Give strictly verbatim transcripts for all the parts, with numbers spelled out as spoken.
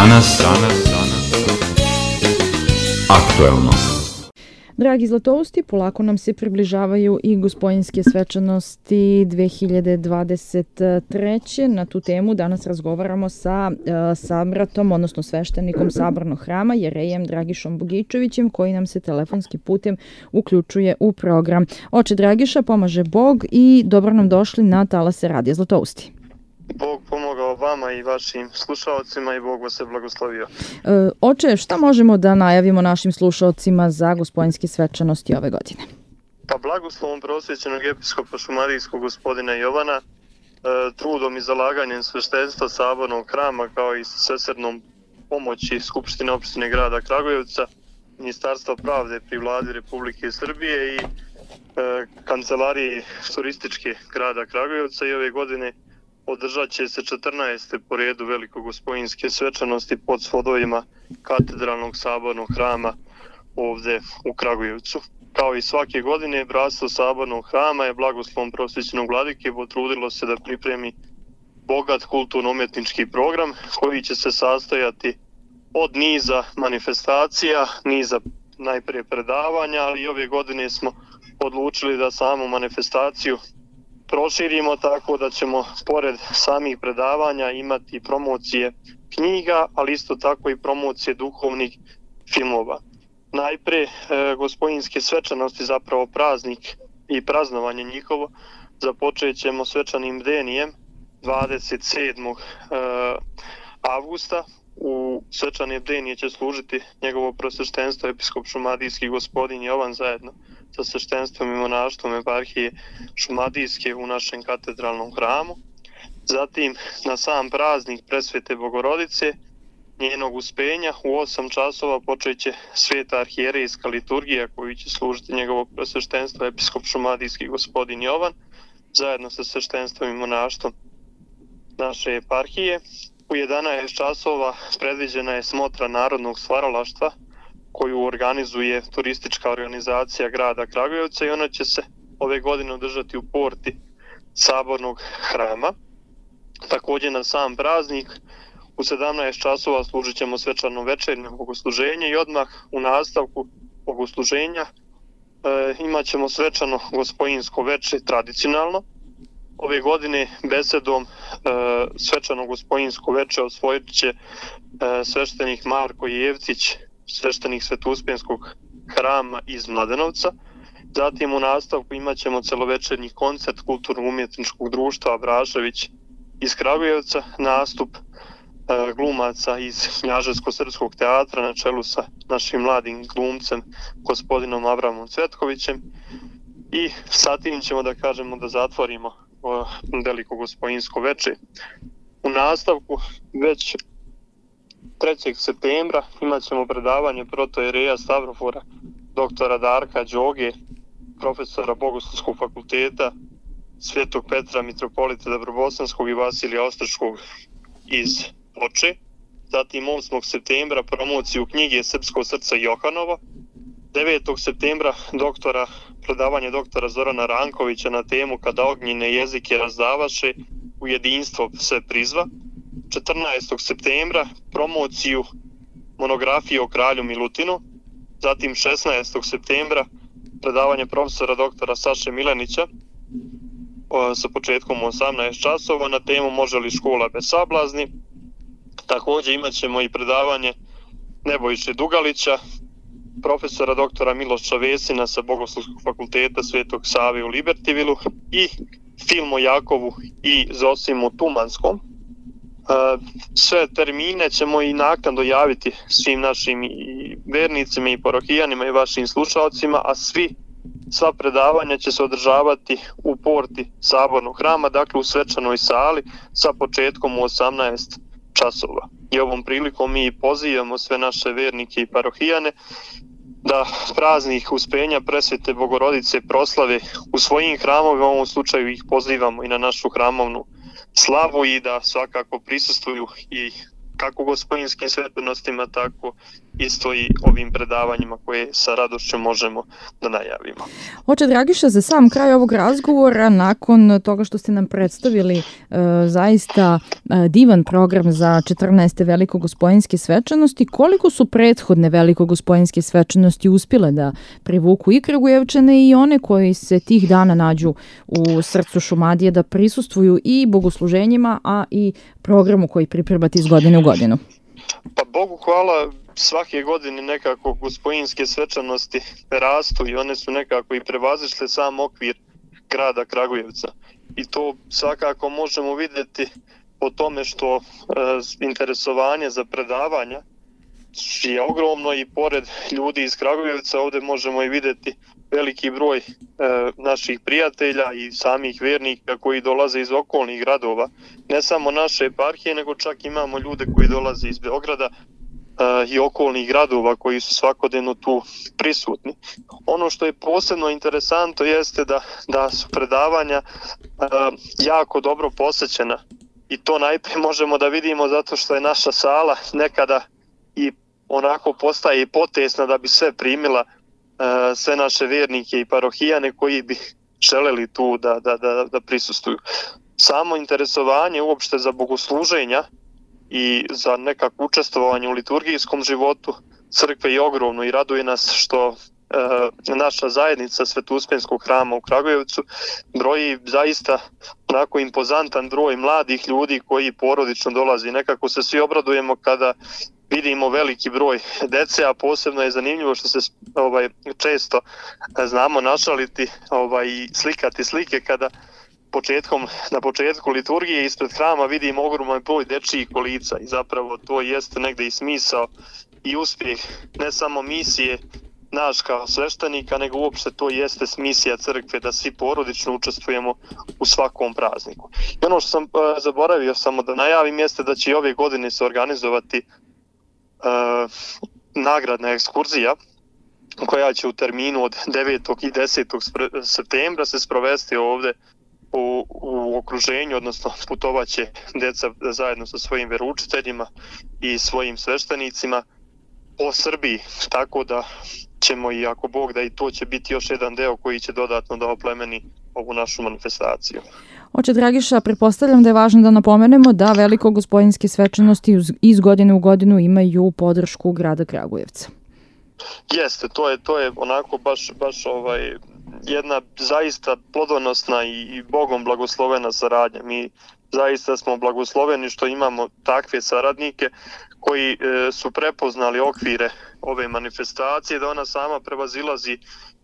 Danas, danas, danas, aktuelno. Dragi zlatousti, polako nam se približavaju i Gospojinske svečanosti dve hiljade dvadeset treće. Na tu temu danas razgovaramo sa uh, sabratom, odnosno sveštenikom Sabornog hrama, jerejem Dragišom Bogičevićem, koji nam se telefonskim putem uključuje u program. Oče Dragiša, pomaže Bog i dobro nam došli na talase Radija Zlatousti. Bog pomogao vama i vašim slušalcima i Bog vas je blagoslovio. E, oče, šta možemo da najavimo našim slušalcima za Gospojinske svečanosti ove godine? Pa blagoslovom prosvećenog episkopa šumadijskog gospodina Jovana, e, trudom i zalaganjem sveštenstva Sabornog hrama kao i svesrdnom pomoći Skupštine opštine grada Kragujevca, Ministarstva pravde pri vladi Republike Srbije i e, kancelarije turističke grada Kragujevca i ove godine održat će se četrnaeste po redu velikogospojinske svečanosti pod svodovima katedralnog sabornog hrama ovdje u Kragujevcu. Kao i svake godine, bratstvo Sabornog hrama je blagoslovom prosvećenog vladike potrudilo se da pripremi bogat kulturno-umjetnički program koji će se sastojati od niza manifestacija, niza najprije predavanja, ali i ove godine smo odlučili da samu manifestaciju proširimo tako da ćemo pored samih predavanja imati promocije knjiga, ali isto tako i promocije duhovnih filmova. Najprije e, Gospojinske svečanosti, zapravo praznik i praznovanje njihovo, započet ćemo svečanim bdenijem dvadeset sedmog avgusta. U svečane bdenije će služiti njegovo prosveštenstvo episkop šumadijski gospodin Jovan zajedno sa sveštenstvom i monaštvom eparhije šumadijske u našem katedralnom hramu. Zatim na sam praznik Presvete Bogorodice, njenog uspenja, u osam časova počet će sveta arhijerejska liturgija koju će služiti njegovo prosveštenstvo episkop šumadijski gospodin Jovan zajedno sa sveštenstvom i monaštvom naše eparhije. U jedanaest časova predviđena je smotra narodnog stvaralaštva koju organizuje turistička organizacija grada Kragujevca i ona će se ove godine održati u porti Sabornog hrama. Također na sam praznik u sedamnaest časova služit ćemo svečano večernje bogosluženje i odmah u nastavku bogosluženja e, imat ćemo svečano gospojinsko veče tradicionalno. Ove godine besedom e, svečano gospojinsko veče osvojit će e, sveštenik Marko Jevcić, sveštenik Svetouspjenskog hrama iz Mladenovca. Zatim u nastavku imat ćemo celovečernji koncert kulturno-umjetničkog društva Abrašević iz Kragujevca, nastup e, glumaca iz Knjaževsko-srpskog teatra na čelu sa našim mladim glumcem gospodinom Avramom Cvetkovićem i sa tim ćemo da kažemo da zatvorimo veliko gospojinsko veče. U nastavku već trećeg septembra imat ćemo predavanje protojereja Stavrofora doktora Darka Đoge, profesora Bogoslovskog fakulteta Svetog Petra mitropolita Dobrobosanskog i Vasilija Ostrškog iz Ploče. Zatim osmog septembra promociju knjige Srpsko srce Johanova. devetog septembra doktora, predavanje doktora Zorana Rankovića na temu Kada ognjene jezike razdavaše, u jedinstvo se prizva. četrnaestog septembra promociju monografije o kralju Milutinu. Zatim šesnaestog septembra predavanje profesora doktora Saše Milenića o, sa početkom u osamnaest časova na temu Može li škola bez sablazni. Također imat ćemo i predavanje Nebojše Dugalića, profesora doktora Miloša Vesina sa Bogoslovskog fakulteta Svetog Save u Libertivilu i film o Jakovu i Zosimu Tumanskom. Sve termine ćemo i naknadno javiti svim našim i vernicima i parohijanima i vašim slušalcima, a svi, sva predavanja će se održavati u porti Sabornog hrama, dakle u svečanoj sali sa početkom u osamnaest časova. I ovom prilikom mi pozivamo sve naše vernike i parohijane da praznik uspenja Presvete Bogorodice proslave u svojim hramovima, u ovom slučaju ih pozivamo i na našu hramovnu slavu i da svakako prisustvuju i kako gospojinskih svečanostima, tako isto i ovim predavanjima koje sa radošću možemo da najavimo. Oče Dragiša, za sam kraj ovog razgovora, nakon toga što ste nam predstavili e, zaista e, divan program za četrnaeste Velikogospojinske svečanosti, koliko su prethodne Velikogospojinske svečanosti uspjele da privuku i Kragujevčane i one koji se tih dana nađu u srcu Šumadije da prisustvuju i bogosluženjima, a i programu koji pripremate iz godine u godinu? Pa Bogu hvala, svake godine nekako gospojinske svečanosti rastu i one su nekako i prevazišle sam okvir grada Kragujevca. I to svakako možemo vidjeti po tome što e, interesovanje za predavanja je ogromno i pored ljudi iz Kragujevca ovdje možemo i vidjeti veliki broj e, naših prijatelja i samih vjernika koji dolaze iz okolnih gradova. Ne samo naše eparhije, nego čak imamo ljude koji dolaze iz Beograda e, i okolnih gradova koji su svakodnevno tu prisutni. Ono što je posebno interesantno jeste da, da su predavanja e, jako dobro posećena i to najprije možemo da vidimo zato što je naša sala nekada i onako postaje i potesna da bi sve primila sve naše vjernike i parohijane koji bi želeli tu da, da, da, da prisustuju. Samo interesovanje uopšte za bogosluženja i za nekako učestvovanje u liturgijskom životu crkve je ogromno i raduje nas što e, naša zajednica Svetouspjenskog hrama u Kragujevcu broji zaista onako impozantan broj mladih ljudi koji porodično dolazi. Nekako se svi obradujemo kada vidimo veliki broj dece, a posebno je zanimljivo što se ovaj često znamo našaliti ovaj i slikati slike kada početkom na početku liturgije ispred hrama vidimo ogroman broj dečjih kolica i zapravo to jeste negde i smisao i uspjeh ne samo misije naš kao sveštenika, nego uopšte to jeste misija crkve da svi porodično učestvujemo u svakom prazniku. I ono što sam uh, zaboravio samo da najavim jeste da će i ove godine se organizovati Uh, nagradna ekskurzija koja će u terminu od devetog i desetog septembra se sprovesti ovdje u, u okruženju, odnosno putovaće deca zajedno sa svojim veroučiteljima i svojim sveštenicima po Srbiji, tako da ćemo i ako Bog da i to će biti još jedan deo koji će dodatno da oplemeni ovu našu manifestaciju. Oče Dragiša, pretpostavljam da je važno da napomenemo da Velikogospojinske svečanosti iz godine u godinu imaju podršku grada Kragujevca. Jeste, to je to je onako baš baš ovaj jedna zaista plodonosna i, i Bogom blagoslovena saradnja. Mi zaista smo blagosloveni što imamo takve saradnike koji e, su prepoznali okvire ove manifestacije, da ona sama prevazilazi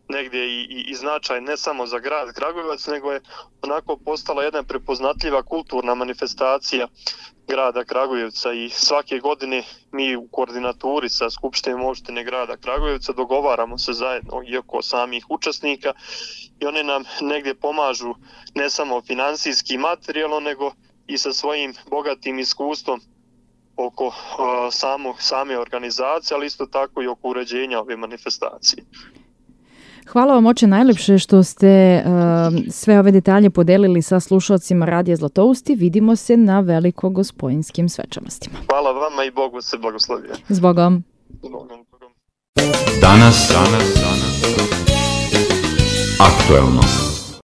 negdje i, i, i značaj ne samo za grad Kragujevac, nego je onako postala jedna prepoznatljiva kulturna manifestacija grada Kragujevca i svake godine mi u koordinaturi sa Skupštinom opštine grada Kragujevca dogovaramo se zajedno i oko samih učesnika i oni nam negdje pomažu ne samo finansijski i materijalno, nego i sa svojim bogatim iskustvom oko uh, samo, same organizacije, ali isto tako i oko uređenja ove manifestacije. Hvala vam, oče, najlepše što ste uh, sve ove detalje podelili sa slušalcima Radija Zlatousti. Vidimo se na Velikogospojinskим svečanostima. Hvala vama i Bog vas se blagoslovio. S Bogom. Zbogom. Danas, danas, danas, aktuelno.